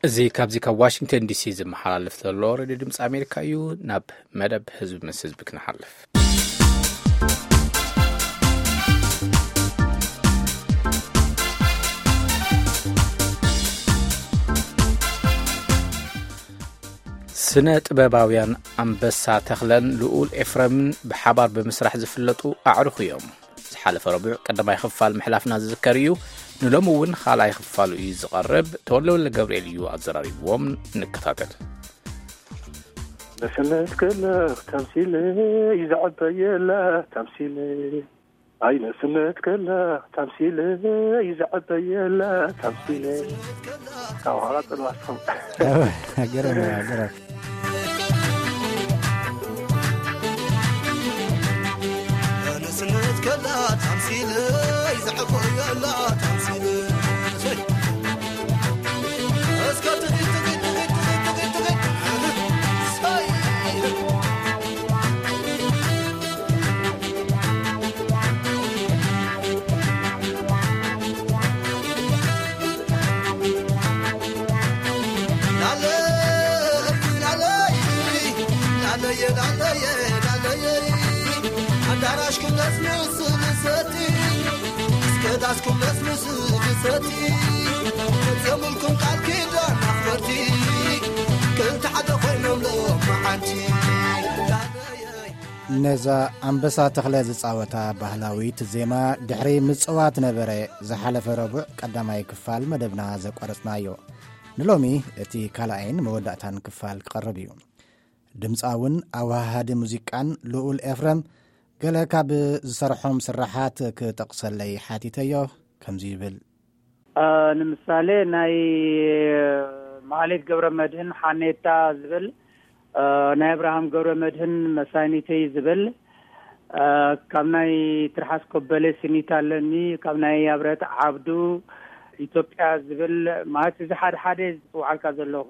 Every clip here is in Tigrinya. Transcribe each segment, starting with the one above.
እዚ ካብዚ ካብ ዋሽንግተን ዲሲ ዝመሓላለፍ ዘሎ ሬድዮ ድምፂ ኣሜሪካ እዩ። ናብ መደብ ህዝቢ ምስ ህዝቢ ክንሓልፍ። ስነ ጥበባውያን ኣንበሳ ተኽለን ልኡል ኤፍረምን ብሓባር ብምስራሕ ዝፍለጡ ኣዕሩኽ እዮም። ዝሓለፈ ረቡዕ ቀዳማይ ክፋል ምሕላፍና ዝዝከር እዩ። ንሎሚ እውን ካልኣይ ክፋሉ እዩ ዝቐርብ። ተወልደ ወልደ ገብርኤል እዩ ኣዘራሪብዎም። ንከታተል። ነስነት ከላ ተምሲለ ይዝዕበየላ ተምሲለ ኣይ ነስነት ከላ ተምሲለ ይዝዕበየላ ተምሲለ ካብ ኋላ ጥልዋስኩም ገረም ገረም። ኣዳራሽኩም ነስንስ ብሰቲ እስከ ዳስኩም ነስንስ ብሰቲ ፈጸምልኩም ቃል ኪዳን ኣኽበርቲ ክልተ ሓደ ኮይኖም ሎማዓንቲ ነዛ ኣንበሳ ተኽለ ዝጻወታ ባህላዊት ዜማ ድሕሪ ምጽዋት ነበረ ዝሓለፈ ረቡዕ ቀዳማይ ክፋል መደብና ዘቋረጽናዮ። ንሎሚ እቲ ካልኣይን መወዳእታን ክፋል ክቐርብ እዩ። ድምፃውን ኣወሃሃዲ ሙዚቃን ልኡል ኤፍረም ገለ ካብ ዝሰርሖም ስራሓት ክጠቕሰለይ ሓቲተዮ። ከምዚ ይብል። ንምሳሌ ናይ ማህሌት ገብረ መድህን ሓኔታ ዝብል፣ ናይ ኣብርሃም ገብረ መድህን መሳኒተይ ዝብል፣ ካብ ናይ ትርሓስ ኮበሌ ስኒት ኣለኒ፣ ካብ ናይ ኣብረት ዓብዱ ኢትዮጵያ ዝብል ማለት እዚ ሓደ ሓደ ዝፅውዓልካ ዘለኹ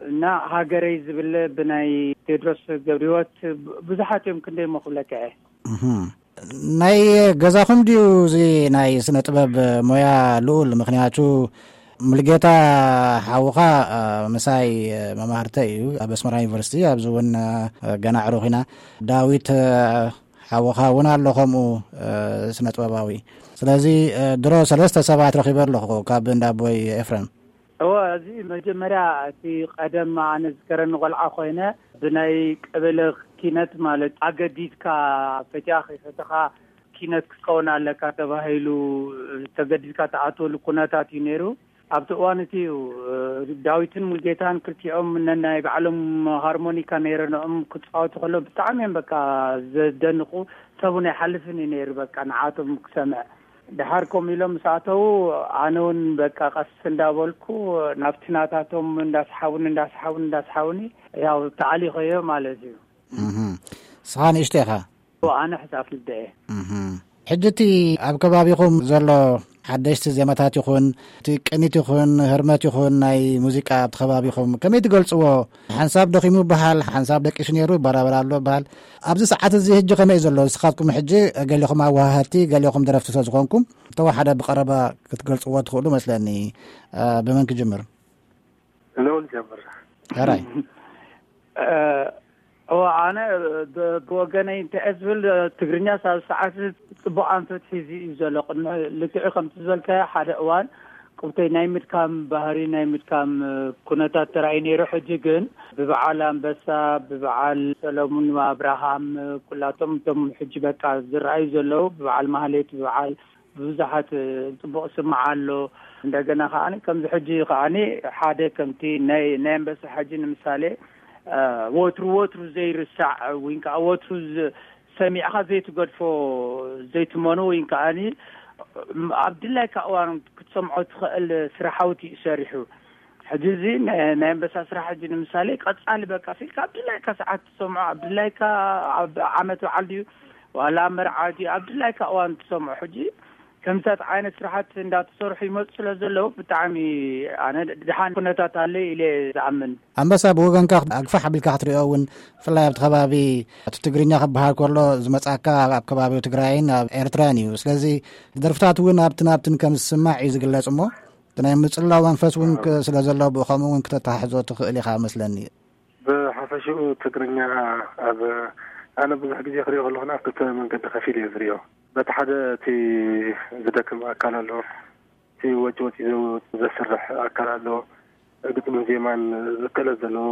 እና ሃገረይ ዝብል ብናይ ቴድሮስ ገብረህይወት ብዙሓት እዮም ክንደይ እሞ ክብለካ እየ። ናይ ገዛኹም ድዩ እዚ ናይ ስነ ጥበብ ሞያ ልኡል? ምክንያቱ ሙልጌታ ሓውኻ ምሳይ መማህርተ እዩ ኣብ ኣስመራ ዩኒቨርሲቲ፣ ኣብዚ እውን ገና ዕሩኽ ኢና። ዳዊት ሓውኻ እውን ኣሎ ከምኡ ስነ ጥበባዊ። ስለዚ ድሮ ሰለስተ ሰባት ረኺበ ኣለኹ ካብ እንዳ ኣቦይ ኤፍረም። እወ፣ እዚ መጀመርያ እቲ ቀደም ኣነ ዝከረኒ ቆልዓ ኮይነ ብናይ ቀበሌ ኪነት ማለት ኣገዲድካ ፈቲኻ ከይፈተኻ ኪነት ክትከውን ኣለካ ተባሂሉ ተገዲድካ ትኣትወሉ ኩነታት እዩ ነይሩ። ኣብቲ እዋን እቲ እዩ ዳዊትን ሙልጌታን ክልቲኦም ነናይ ባዕሎም ሃርሞኒካ ነይረንኦም ክፃወቱ ከሎ ብጣዕሚ እዮም በቃ ዘደንቁ። ሰቡን ኣይሓልፍን እዩ ነይሩ በቃ ንዓቶም ክሰምዕ። ድሓር ከምኡ ኢሎም ምስ ኣተዉ ኣነ እውን በቃ ቀስ እንዳበልኩ ናብቲ ናታቶም እንዳስሓቡኒ እንዳስሓቡኒ እንዳስሓቡኒ ያው ተኣሊኸዮ ማለት እዩ። ስኻ ንእሽቶ ኢኻ? ኣነ ሕሳፍ ልደ እየ። ሕጂ እቲ ኣብ ከባቢኹም ዘሎ ሓደሽቲ ዜማታት ይኹን እቲ ቅኒት ይኹን ህርመት ይኹን ናይ ሙዚቃ ኣብቲ ከባቢኹም ከመይ ትገልፅዎ? ሓንሳብ ደኺሙ ይበሃል፣ ሓንሳብ ደቂሱ ነይሩ ይበራበር ኣሎ ይበሃል። ኣብዚ ሰዓት እዚ ሕጂ ከመይ ዘሎ? ንስኻትኩም ሕጂ ገሊኹም ኣወሃሃድቲ፣ ገሊኹም ደረፍቲ ስለ ዝኾንኩም፣ ተወሓደ ብቐረባ ክትገልጽዎ ትኽእሉ መስለኒ። እ፣ ብመን ክጅምር? ንልኡል ጀምር። ሕራይ። እ፣ እወ፣ ኣነ ብ-፣ ብወገነይ እንታይ እየ ዝብል፣ ትግርኛ ሳብ ሰዓት ጽቡቕ ኣንፈት ሒዙ እዩ ዘሎ። ቅድሚ ልክዕ ከምቲ ዝበልካዮ ሓደ እዋን ቁብተይ ናይ ምድካም ባህሪ፣ ናይ ምድካም ኩነታት ተራእዩ ነይሩ። ሕጂ ግን ብበዓል ኣንበሳ፣ ብበዓል ሰለሙን ኣብርሃም፣ ኩላቶም እቶም ሕጂ በቃ ዝረኣዩ ዘለዉ፣ ብበዓል ማህሌት፣ ብበዓል ብዙሓት ጽቡቕ ስማዕ ኣሎ። እንደገና ከዓኒ ከምዚ ሕጂ ከዓኒ ሓደ ከምቲ ናይ፣ ናይ ኣንበሳ ሕጂ ንምሳሌ፣ እ፣ ወትሩ ወትሩ ዘይርሳዕ ወይ ከዓ ወትሩ ዝ-፣ ሰሚዕኻ ዘይትገድፎ ዘይትመኑ ወይ ከዓኒ ኣብ ድላይካ እዋን ክትሰምዖ ትኽእል ስራሓውቲ እዩ ሰሪሑ። ሕጂ እዚ ናይ፣ ናይ ኣንበሳ ስራሕ ሕጂ ንምሳሌ ቀጻሊ በቃ ሲልካ ኣብ ድላይካ ሰዓት ትሰምዖ፣ ኣብ ድላይካ ኣብ ዓመት በዓል ድዩ ዋላ ኣብ መርዓ ድዩ ኣብ ድላይካ እዋን ትሰምዖ። ሕጂ ከምታት ዓይነት ስራሓት እንዳተሰርሑ ይመፁ ስለ ዘለዉ ብጣዕሚ ኣነ ድሓን ኩነታት ኣለዩ ኢለ ዝኣምን። ኣንበሳ ብወገንካ ኣግፋሕ ኣቢልካ ክትሪኦ እውን ብፍላይ ኣብቲ ከባቢ እቲ ትግርኛ ክበሃል ከሎ ዝመጻካ ኣብ ከባቢ ትግራይን ኣብ ኤርትራን እዩ። ስለዚ ደርፍታት እውን ኣብትን ኣብትን ከም ዝስማዕ እዩ ዝግለጽ እሞ እቲ ናይ ምጽላው መንፈስ እውን ክ-፣ ስለ ዘሎ ብኡ ከምኡ እውን ክተተሓሕዞ ትኽእል ኢኻ መስለኒ። ብሓፈሽኡ ትግርኛ ኣብ፣ ኣነ ብዙሕ ግዜ ክሪኦ ከለኹ ኣብ ክልተ መንገዲ ከፊል እየ ዝሪኦ። በቲ ሓደ እቲ ዝደክም ኣካል ኣሎ፣ እቲ ወጪ ወጪ ዘው-፣ ዘስርሕ ኣካል ኣሎ፣ ግጥምን ዜማን ክእለት ዘለዎ፣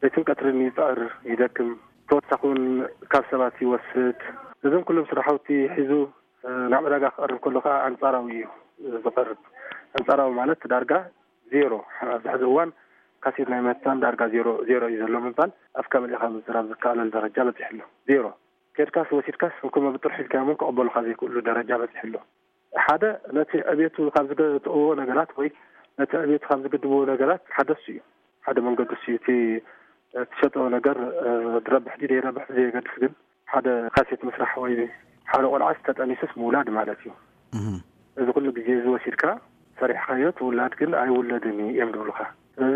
ለይትን ቀትርን ይፅዕር፣ ይደክም፣ ተወሳኺ እውን ካብ ሰባት ይወስድ። እዞም ኩሎም ስራሕቲ ሒዙ ናብ ዕዳጋ ክቐርብ ከሎ ከዓ ኣንፃራዊ እዩ ዝቐርብ። ኣንፃራዊ ማለት ዳርጋ ዜሮ። ኣብዚ ሕዚ እዋን ካሴት ናይ ምህታም ዳርጋ ዜሮ፣ ዜሮ እዩ ዘሎ ምባል ኣፍካ መሊእኻ ምዝራብ ዝከኣለሉ ደረጃ በፂሑ ኣሎ። ዜሮ። ከድካስ ወሲድካስ እንኮ መብጥር ሒዝካዮም እውን ክቕበሉኻ ዘይክእሉ ደረጃ በፂሑ ኣሎ። ሓደ ነቲ ዕቤቱ ካብ ዝገጥእዎ ነገራት ወይ ነቲ ዕቤቱ ካብ ዝግድብዎ ነገራት ሓደ እሱ እዩ። ሓደ መንገዲ እሱ እዩ። እቲ እትሸጦ ነገር፣ እ፣ ድረብሕ ድዩ ደይረብሕ ብዘየገድስ ግን ሓደ ካሴት ምስራሕ ወይ ሓደ ቆልዓስ ተጠኒሱስ ምውላድ ማለት እዩ። እህ። እዚ ኩሉ ግዜ እዚ ወሲድካ ሰሪሕካዮ ትውላድ ግን ኣይውለድን እዩ እዮም ዝብሉኻ። ስለዚ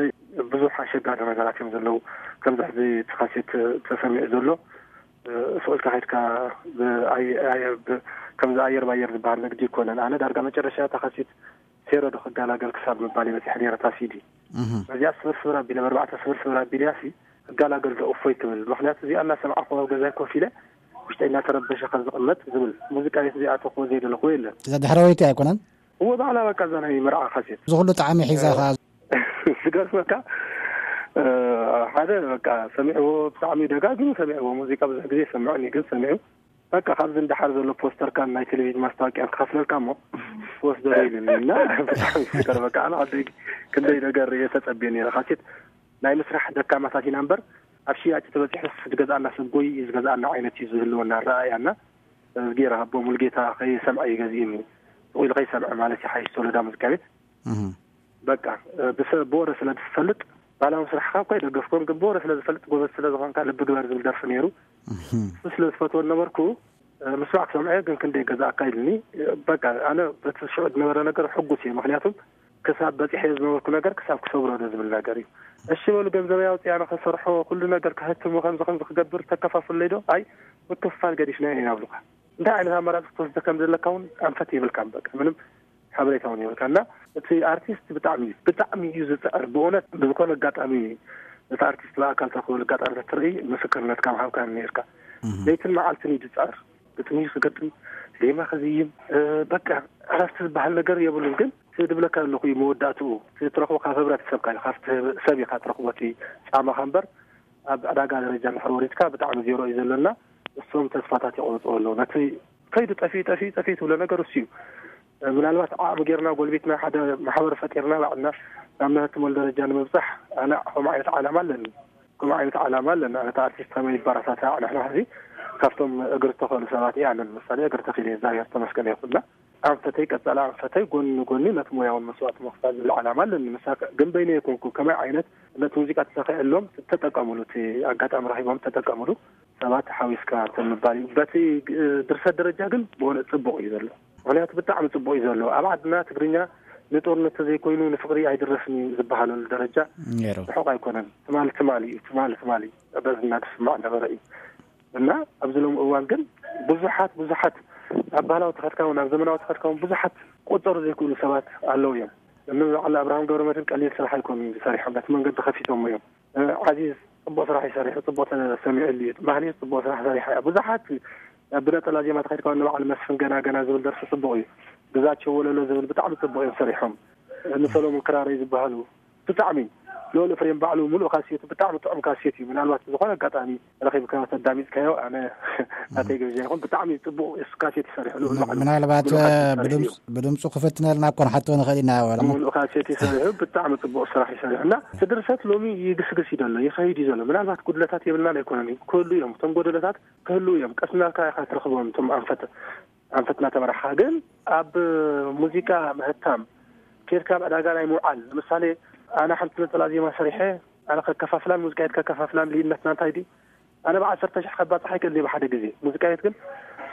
ብዙሕ ኣሸጋሪ ነገራት እዮም ዘለዉ። ከምዚ ሕዚ እቲ ካሴት ተሰሚዑ ዘሎ፣ እ፣ ሱቕ ኢልካ ከድካ ብ-፣ ኣየ-፣ ኣየ-፣ ብ-፣ ከምዚ ኣየር ባየር ዝበሃል ንግዲ ይኮነን። ኣነ ዳርጋ መጨረሻ እታ ካሴት ሴሮ ዶ ክገላገል ክሳብ ምባል እየ በፂሐ ነይረ እታ ሲዲ። እህ። በዚኣ ስብር ስብር ኣቢለ፣ ብኣርባዕተ ስብር ስብር ኣቢለያ ሲ ክገላገል ዶ እፎይ ክብል። ምክንያቱ እዚኣ እናሰማዕኩ ኣብ ገዛይ ኮፍ ኢለ ውሽጠይ እናተረበሸ ካብ ዝቕመጥ ዝብል ሙዚቃ ቤት እዚኣ ተኽቦ ዘይደለኽዎ የለን። እዛ ድሕራወይቲ ኣይኮነን? እወ፣ ባዕላ በቃ እዛ ናይ መርዓ ካሴት። እዚ ኩሉ ጣዕሚ ሒዛ ኸዓ። ዝገርመካ፣ እ፣ ሓደ በቃ ሰሚዕዎ፣ ብጣዕሚ ደጋጊሙ ሰሚዕዎ። ሙዚቃ ብዙሕ ግዜ ይሰምዐኒ፣ ግን ሰሚዑ በቃ ካብዚ እንዳሓር ዘሎ ፖስተርካን ናይ ቴሌቪዥን ማስታወቂያን ክኸፍለልካ እሞ ክወስዶ ዶ ኢሉኒ እና ብጣዕሚ ይስከር። በቃ ኣነ ዓደይ ክንደይ ነገር እየ ተጸብየ ነይረ። ካሴት ናይ ምስራሕ ደካማታት ኢና እምበር ኣብ ሽያጭ ተበጺሑስ ዝገዝኣና ሰብ ጎይ እዩ ዝገዝኣና ዓይነት እዩ ዝህልወና ኣረኣእያ እና እዚ ገይረ ሃቦ ሙሉጌታ ከይሰምዐ እዩ ገዚእኒ። ስቕ ኢሉ ከይሰምዐ ማለት እዩ ሓይሽ ሶሎዳ ሙዚቃ ቤት። እህ። በቃ፣ እ፣ ብሰ-፣ ብወረ ስለ ዝፈልጥ፣ ባህላዊ ስራሕኻ እኳ ኣይደገፍኩን፣ ግን ብወረ ስለ ዝፈልጥ፣ ጎበዝ ስለ ዝኾንካ፣ ልቢ ግበር ዝብል ደርፊ ነይሩ። እህ። እሱ ስለ ዝፈትዎ ነበርኩ፣ እ፣ ምስማዕ ክሰምዐ፣ ግን ክንደይ ገዛእካ ኢልኒ። እ፣ በቃ፣ ኣነ በቲ ሽዑ ዝነበረ ነገር ሕጉስ እየ። ምኽንያቱም፣ ክሳብ በፂሐ ዝነበርኩ ነገር፣ ክሳብ ክሰብሮ ዶ ዝብል ነገር እዩ። እሺ በሉ፣ ገንዘበይ ኣውፅእ፣ ኣነ ክሰርሖ፣ ኩሉ ነገር ክህትሞ፣ ከምዚ ከምዚ ክገብር፣ ተከፋፍለይ ዶ? ኣይ፣ ምክፍፋል ገዲፍና ኢና ይብሉካ። እንታይ ዓይነት ኣማራፂ ክትወስድ ከም ዘለካ እውን ኣንፈት የብልካን። በቃ፣ ምንም ሓበሬታ እውን የብልካ። እና እቲ ኣርቲስት ብጣዕሚ፣ ብጣዕሚ እዩ ዝፅዕር። ብእውነት ብዝኮነ ኣጋጣሚ ነቲ ኣርቲስት ብኣካል ትረክበሉ ኣጋጣሚ ተትርኢ ምስክርነትካ ምሃብካ ነይርካ። እህ። ለይትን መዓልትን እዩ ዝፅዕር። ግጥሚ ክገጥም፣ ዜማ ክዝይም፣ እ፣ በቃ ዕረፍቲ ዝበሃል ነገር የብሉን። ግን እቲ ዝብለካ ዘለኹ እዩ መወዳእትኡ። እቲ ትረክቦ ካብ ህብረተሰብካ እዩ፣ ካብቲ ሰብ ኢኻ ትረክቦ እቲ ጻማኻ እምበር ኣብ ዕዳጋ ደረጃ እንድሕር ወሪድካ ብጣዕሚ ዜሮ እዩ ዘሎና። እሶም ተስፋታት ይቆርፅዎ ኣለዉ። ነቲ ከይዱ ጠፊኡ፣ ጠፊኡ፣ ጠፊኡ ትብሎ ነገር እሱ እዩ። ምናልባት ዓቕሚ ጌርና ጎልቢትና ሓደ ማሕበር ፈጢርና ባዕልና ናብ ንህትመሉ ደረጃ ንምብፃሕ ኣነ ከምኡ ዓይነት ዓላማ ኣለኒ። ከምኡ ዓይነት ዓላማ ኣለኒ። ኣነ እቲ ኣርቲስት ከመይ ይበረታታዕ፣ ንሕና ሕዚ ካብቶም እግሪ ዝተኸሉ ሰባት እየ ኣነ። ንምሳሌ እግሪ ተኺለ እየ፣ እግዚኣብሔር ተመስገን ይኹንና። ኣንፈተይ ቀጻሊ ኣንፈተይ ጎኒ ንጎኒ ነቲ ሞያውን መስዋእቲ ምኽፋል ዝብል ዓላማ ኣለኒ። ምሳሌ ግን በይነይ ኣይኮንኩ። ከመይ ዓይነት ነቲ ሙዚቃ ተተኺዐሎም ተጠቀምሉ፣ እቲ ኣጋጣሚ ረኺቦም ተጠቀምሉ። ሰባት ሓዊስካ እንተ ምባል እዩ። በቲ ግ-፣ ድርሰት ደረጃ ግን ብእውነት ጽቡቕ እዩ ዘሎ። ምኽንያቱ ብጣዕሚ ጽቡቕ እዩ ዘሎ። ኣብ ዓድና ትግርኛ ንጦርነት ተዘይኮይኑ ንፍቕሪ ኣይድረስን እዩ ዝበሃለሉ ደረጃ ነይሩ። ርሑቕ ኣይኮነን። ትማሊ ትማሊ እዩ፣ ትማሊ ትማሊ በዚ እናተስማዕ ነበረ እዩ። እና ኣብዚ ሎሚ እዋን ግን ብዙሓት፣ ብዙሓት ኣብ ባህላዊ ተኸድካ እውን ኣብ ዘመናዊ ተኸድካ እውን ብዙሓት ክቑጸሩ ዘይክእሉ ሰባት ኣለዉ እዮም። እኒ በዓል ኣብርሃም ገብረመድህን ቀሊል ስራሕ ኣይኮኑን ዝሰሪሖም፣ ነቲ መንገዲ ከፊቶሞ እዮም። እ፣ ዓዚዝ ጽቡቕ ስራሕ እዩ ሰሪሑ፣ ጽቡቕ ተሰሚዑሉ እዩ። ማህሌት ጽቡቕ ስራሕ ሰሪሓ እያ። ብዙሓት ብነጠላ ዜማ ተኸድካ እውን ንበዓል መስፍን ገና ገና ዝብል ደርፊ ጽቡቕ እዩ። ግዛቸው ወለሎ ዝብል ብጣዕሚ ጽቡቕ እዮም ሰሪሖም። እኒ ሰሎሞን ክራረይ ዝበሃሉ ብጣዕሚ ልኡል ኤፍሬም ባዕሉ ምሉእ ካሴቱ ብጣዕሚ ጥዑም ካሴት እዩ። ምናልባት ብዝኾነ ኣጋጣሚ ረኺብካ ተዳሚፅካዮ፣ ኣነ ናተይ ግብዣ ይኹን። ብጣዕሚ ጽቡቕ እሱ ካሴት ይሰርሕ፣ ልኡል ም-፣ ባዕሉ ምናልባት፣ ምሉእ ካሴት ይሰርሕ እዩ። ብድምፅ-፣ ብድምፁ ክፍትነልና እኮ ንሓቶ ንኽእል ኢና። ወላ ም-፣ ምሉእ ካሴት ይሰርሕ እዩ። ብጣዕሚ ጽቡቕ ስራሕ ይሰርሕ እና እቲ ድርሰት ሎሚ ይግስግስ እዩ ዘሎ፣ ይኸይድ እዩ ዘሎ። ምናልባት ጉድለታት የብልናን ኣይኮነን እዩ፣ ክህሉ እዮም። እቶም ጎደለታት ክህሉ እዮም። ቀስ እናልካ ኢኻ ትረኽቦም እቶም ኣንፈት ኣንፈትና ተመራሕኻ። ግን ኣብ ሙዚቃ ምህታም ኬድካ ኣብ ዕዳጋ ናይ ምውዓል፣ ንምሳሌ፣ ኣነ ሓንቲ ነጠላ ዜማ ሰሪሐ፣ ኣነ ከከፋፍላን ሙዚቃ ቤት ከከፋፍላን ልዩነትና እንታይ ድዩ? ኣነ ብዓሰርተ ሽሕ ከባፅሕ ኣይክእልን እየ ብሓደ ግዜ። ሙዚቃ ቤት ግን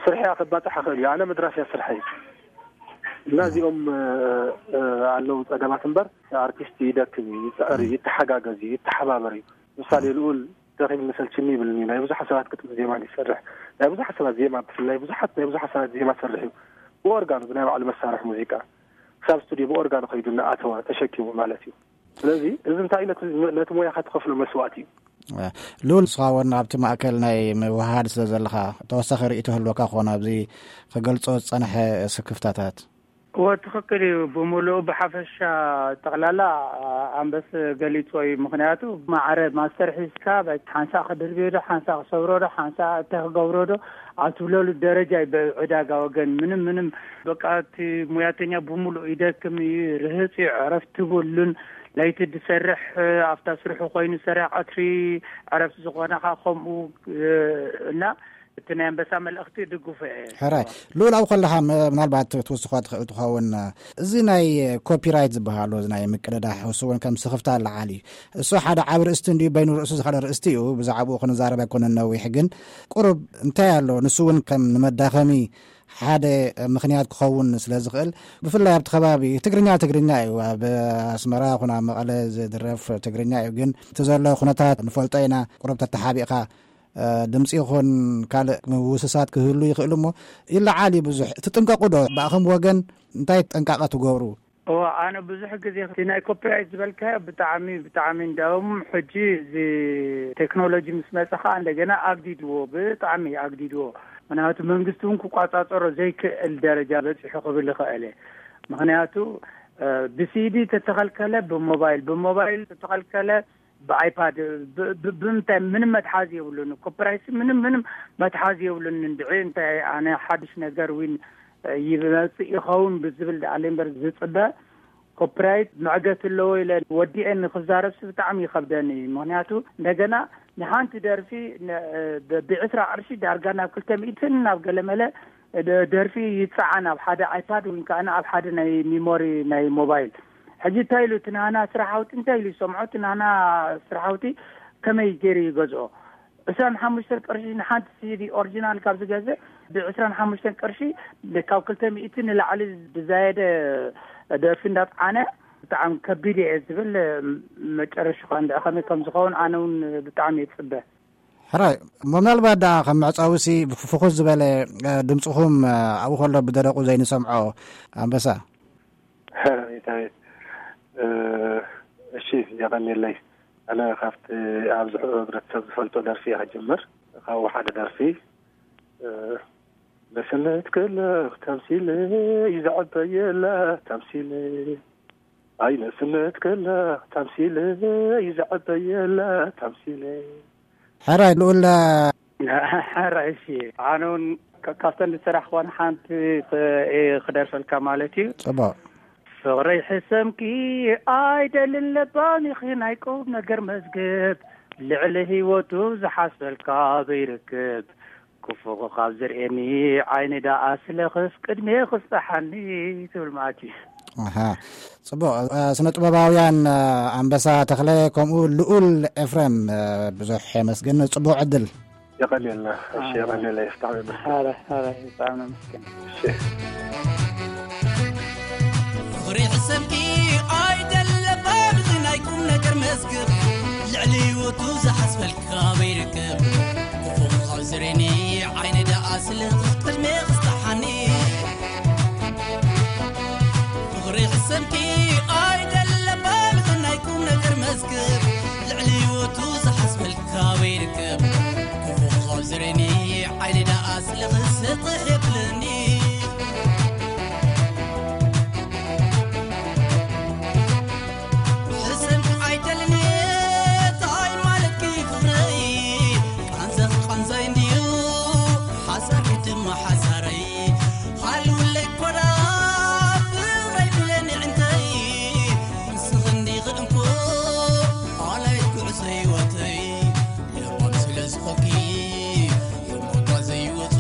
ስርሕያ ከባፅሕ ይኽእል እዩ። ኣነ ምድራፍ እያ ስርሐይ። እና እዚኦም፣ እ፣ እ፣ ኣለዉ ፀገማት እምበር፣ ኣርቲስት ይደክም እዩ፣ ይፅዕር እዩ፣ ይተሓጋገዝ እዩ፣ ይተሓባበር እዩ። ምሳሌ ልኡል ደኺምኒ ሰልችኒ ይብልኒ። ናይ ብዙሓት ሰባት ግጥሚ ዜማ ይሰርሕ። ናይ ብዙሓት ሰባት ዜማ፣ ብፍላይ ብዙሓት፣ ናይ ብዙሓት ሰባት ዜማ ሰርሕ እዩ። ብኦርጋኑ፣ ብናይ ባዕሉ መሳርሒ ሙዚቃ። ክሳብ ስቱድዮ ብኦርጋን ኸይዱ እናኣተወ ተሸኪሙ ማለት እዩ። ስለዚ እዚ እንታይ ነቲ፣ ነቲ ሞያኻ ትኸፍሎ መስዋእቲ እዩ። ሉል፣ ንስኻ እውን ኣብቲ ማእከል ናይ ምውሃድ ስለ ዘለኻ፣ ተወሳኺ ርእይቶ ህልወካ ክኾን ኣብዚ ክገልጾ ዝጸንሐ ስክፍታታት? እወ፣ ትኽክል እዩ። ብምሉኡ ብሓፈሻ ጠቕላላ ኣንበስ ገሊጾ እዩ። ምኽንያቱ ማዕረ ማስተር ሒዝካ፣ በቃ ሓንሳእ ክድርብዮ ዶ፣ ሓንሳእ ክሰብሮ ዶ፣ ሓንሳእ እንታይ ክገብሮ ዶ ኣብ ትብለሉ ደረጃ እዩ። ብዕዳጋ ወገን ምንም፣ ምንም፣ በቃ እቲ ሙያተኛ ብምሉእ ይደክም እዩ፣ ርህጽ እዩ፣ ዕረፍቲ ብሉን። ለይቲ ዝሰርሕ ኣብታ ስርሑ ኮይኑ ዝሰርሕ፣ ቀትሪ ዕረፍቲ ዝኾነኻ ከምኡ፣ እ፣ እና እቲ ናይ ኣንበሳ መልእኽቲ ድግፎ እየ። ሕራይ። ሉል፣ ኣብኡ ከለኻ ም-፣ ምናልባት ትውስኾ ትኽእል ትኸውን። እዚ ናይ ኮፒራይት ዝበሃሉ፣ እዚ ናይ ምቅድዳሕ፣ እሱ እውን ከም ስኽፍታ ኣለዓል እዩ። እሱ ሓደ ዓቢ ርእስቲ እንድዩ፣ በይኑ ርእሱ ዝኸደ ርእስቲ እዩ። ብዛዕባኡ ክንዛረብ ኣይኮነን ነዊሕ፣ ግን ቁሩብ እንታይ ኣሎ፣ ንሱ እውን ከም ንመዳኸሚ ሓደ ምኽንያት ክኸውን ስለ ዝኽእል፣ ብፍላይ ኣብቲ ከባቢ ትግርኛ፣ ትግርኛ እዩ። ኣብ ኣስመራ ይኹን ኣብ መቐለ ዝድረፍ ትግርኛ እዩ። ግን እቲ ዘሎ ኩነታት ንፈልጦ ኢና። ቁሩብ ተተሓቢእካ፣ እ፣ ድምፂ ይኹን ካልእ ምውስሳት ክህሉ ይኽእል እሞ ይለዓል እዩ ብዙሕ። ትጥንቀቑ ዶ? ብኣኹም ወገን እንታይ ጥንቃቐ ትገብሩ? እወ፣ ኣነ ብዙሕ ግዜ እቲ ናይ ኮፒራይት ዝበልካዮ ብጣዕሚ፣ ብጣዕሚ እንዳውም ሕጂ እዚ ቴክኖሎጂ ምስ መጸ ኸኣ እንደገና ኣግዲድዎ፣ ብጣዕሚ ኣግዲድዎ። ምክንያቱ መንግስቲ እውን ክቋጻጸሮ ዘይክእል ደረጃ በጺሑ ክብል ይኽእል እየ። ምክንያቱ፣ እ፣ ብሲዲ ተተኸልከለ ብሞባይል፣ ብሞባይል ተተኸልከለ ብኣይፓድ፣ ብ-፣ ብ-፣ ብምንታይ ምንም መትሓዚ የብሉን። ኮፒራይት ምንም፣ ምንም መትሓዚ የብሉን። እንድዒ እንታይ ኣነ ሓድሽ ነገር ዊን ይመጽእ ይኸውን ብዝብል ደኣለ እምበር ዝጽበ ኮፒራይት መዕገቲ ኣለዎ ኢለ ወዲኤ ንክዛረብሲ ብጣዕሚ ይኸብደኒ እዩ። ምክንያቱ እንደገና ንሓንቲ ደርፊ ን-፣ ብ-፣ ብዕስራ ቅርሺ ዳርጋ ናብ ክልተ ሚእትን ናብ ገለመለ ደ-፣ ደርፊ ይጸዓን ኣብ ሓደ ኣይፓድ ወይ ከዓ ኣብ ሓደ ናይ ሚሞሪ ናይ ሞባይል። ሕጂ እንታይ ኢሉ እቲ ናና ስራሓውቲ እንታይ ኢሉ ይሰምዖ? እቲ ናና ስራሓውቲ ከመይ ገይሩ ይገዝኦ? ዕስራን ሓሙሽተን ቅርሺ ንሓንቲ ሲዲ ኦሪጂናል ካብ ዝገዝእ፣ ብዕስራን ሓሙሽተን ቅርሺ ካብ ክልተ ሚእቲ ንላዕሊ ብዛየደ ደርፊ እንዳጽዓነ ብጣዕሚ ከቢድ እየ ዝብል። መጨረሽኻ እንድዒ ከመይ ከም ዝኸውን ኣነ እውን ብጣዕሚ እየ ዝጽበ። ሕራይ፣ እሞ ምናልባት ደኣ ከም መዕጸዊሲ ፍኹስ ዝበለ፣ እ፣ ድምጽኹም፣ እ፣ ኣብኡ ከሎ ብደረቑ ዘይንሰምዖ ኣንበሳ። ሕራይ፣ ሕራይ። እ፣ እሺ፣ የቐንየለይ። ኣነ ካብቲ ኣብዚ ሕብረተሰብ ዝፈልጦ ደርፊ እየ ክጅምር። ካብኡ ሓደ ደርፊ፣ እ፣ ነስነት ከላ ተምሲለ ይዝዕበየላ ተምሲለ፣ ኣይ ነስነት ከላ ተምሲለ ይዝዕበየላ ተምሲለ። ሕራይ ልኡል። ሕራይ፣ እሺ። ኣነ እውን ካ-፣ ካብተን ዝሰራሕክወን ሓንቲ ክ-፣ እየ ክደርፈልካ ማለት እዩ። ጽቡቕ። ፍቕረይ ሕሰምኪ ኣይደልን ለባም ኢኺ ናይ ቁም ነገር መዝገብ፣ ልዕሊ ህይወቱ ዝሓስበልካ ዘይርክብ፣ ክፉእ ካብ ዝርእየኒ ዓይኒ ደኣ ስለኽስ ቅድሜ ክስጠሓኒ ትብል ማለት እዩ። ኣሃ፣ ጽቡቕ። እ፣ ስነ ጥበባውያን፣ እ፣ ኣንበሳ ተኽለ ከምኡ ልኡል ኤፍሬም፣ እ፣ ብዙሕ የመስግን። ጽቡቕ ዕድል። የቐንየልና። እሺ፣ ኣሜን። የቐንየልና። ይፍታሕ ይመስገን። ኧረ፣ ኧረ፣ ብጣዕሚ ነመስግን። እሺ። ፍቕሪ ሕሰምኪ ኣይደለባም እዚ ናይ ቁም ነገር መዝገብ፣ ልዕሊ ህይወቱ ዝሓስበልካ በይርከብ፣ ክፉእ ካብ ዝሬኒ ዓይኒ ደኣ ስለ ቅድሜ ክስታሓኒ። ፍቕሪ ሕሰምኪ ኣይደለባም እዚ ናይ ቁም ነገር መዝገብ፣ ልዕሊ ህይወቱ ዝሓስበልካ በይርከብ፣ ክፉእ ካብ ዝሬኒ ዓይኒ ደኣ ስለ ክስጥሕ የብለኒ። ሕሰምኪ ኣይደልን እየ፣ ታይ ማለትኪ ፍቕረይ? ቃንዛኺ ቃንዛይ እንድዩ፣ ሓሳርኪ ድማ ሓሳረይ። ሃልውለይ ኮዳ ፍቕረይ ብለኒ ዕንተይ፣ ንስኺ እንዲኺ እንኮ ኣላይት ጉዕዞ ህይወተይ። ለባም ስለ ዝኾንኪ፣ የሞታ ዘይወጹ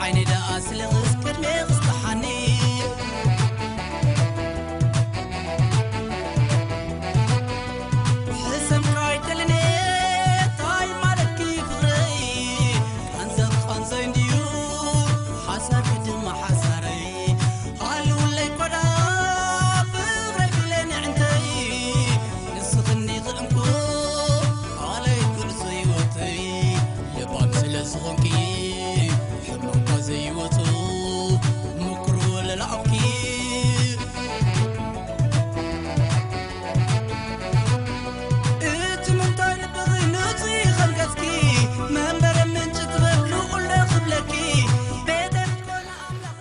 ዓይነይ ደኣ ስለ ምስ ቅድሜ